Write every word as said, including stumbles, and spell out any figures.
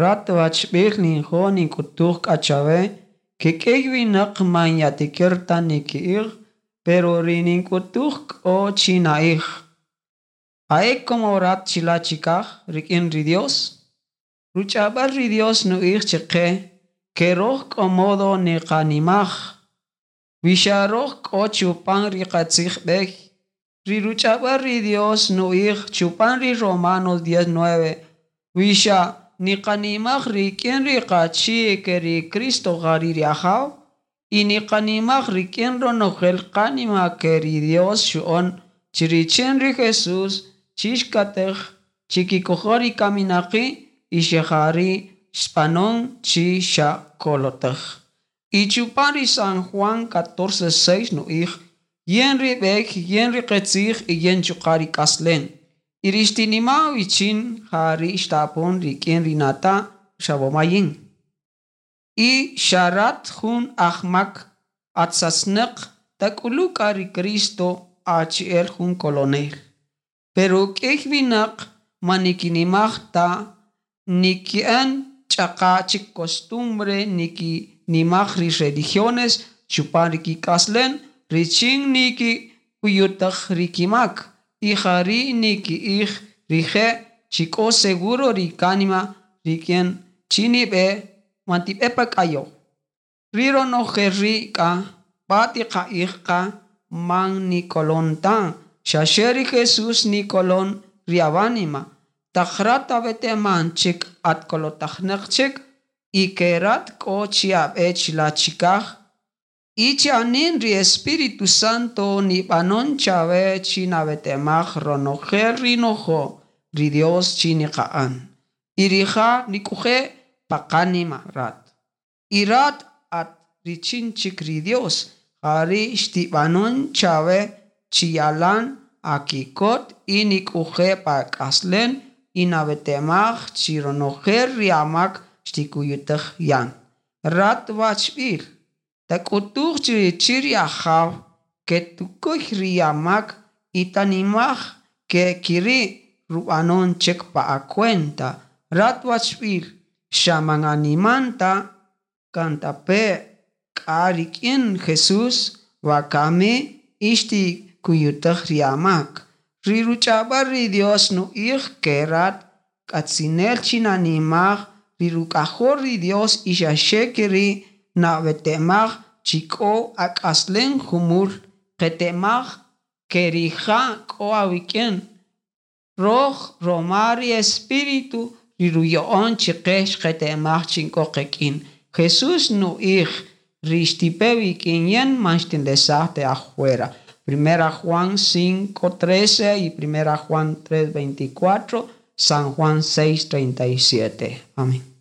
Rat wachb'il ninjo' nink'utuj k'a chawe kik'iy winäq man yatikir ta niki'ij pero ri nink'utuj k'o chi na'ij. Ja'e como rat chila' chikaj rik'in ri Dios? Ruch'ab'äl ri Dios nu'ij chiqe ke roj k'o modo niqanimaj wi xa roj k'o chupan ri qatzij b'ey. Ri ruch'ab'äl ri Dios nu'ij chupan ri Romanos diez nueve wi xa niqanimaj rik'in ri qachi' ke ri Cristo jari' ri Ajaw y niqanimaj rik'in ronojel qanima ke ri Dios xu'on chi richin ri Jesús chixkatej chikikojol ri kaminaqi' y xejari' xb'anon chi xa kolotej. Y chupan ri San Juan catorce seis nu'ij yin ri b'ey, yin ri qetzij y yin chuqa' ri k'aslen. Y ri xtinima wichin jari' xtapon rik'in ri nata' xawomayin. Y xa rat jun ajmak atzatznaq tak'ulu' k'a ri Cristo achi'el jun kolonel. Pero k'iy winäq man nikinimaj ta niki'än ch'aqa' chik costumbre nikinimaj ri religiones chupan ri kik'aslen richin nikikuyutaj ri kimak y jari' niki'ij rije' chi k'o seguro ri kanima rik'in chi nib'e man tib'e pa k'ayew. Ri ronojel ri' k'a b'a tiqa'ij qa man nikolon ta xaxe ri Jesús nikolon ri awánima. Taq rat aweteman chik at kolotajnäq chik y ke rat k'o chi ab'e chila' chikaj y cha'anin ri Espíritu Santo nib'anon chawe chi nawetemaj ronojel ri nojo' ri Dios chi niqa'an. Y rija' nik'uje' pa qanima rat. Y rat at richin chik ri Dios jari' xtib'anon chawe chi yalan akikot y nik'uje' pa k'aslen y nawetemaj chi ronojel ri amak xtikuyutej yan. Rat wachb'il tak'utuj chi richi ri Ajaw ke tukuy ri amak y tanimaj ke kiri' rub'anon chik pa acuenta. Rat wachb'il xa man animan ta kantape' k'a rik'in Jesús wakami y xtikuyutej ri amak. Ri ruch'ab'äl ri Dios nu'ij ke rat k'atzinel chi nanimaj ri ruk'ajol ri Dios y xaxe keri' nawetemaj chi k'o ak'aslen jumul qetemaj ke rija' k'o awik'in. Roj roma ri Espíritu ri ruya'on chiqe xqetemaj chi k'o qik'in. Jesús nu'ij ri xtipe wik'in yin man xtinlesaj te afuera. Primera Juan cinco trece y Primera Juan tres veinticuatro, San Juan seis treinta y siete. Amén.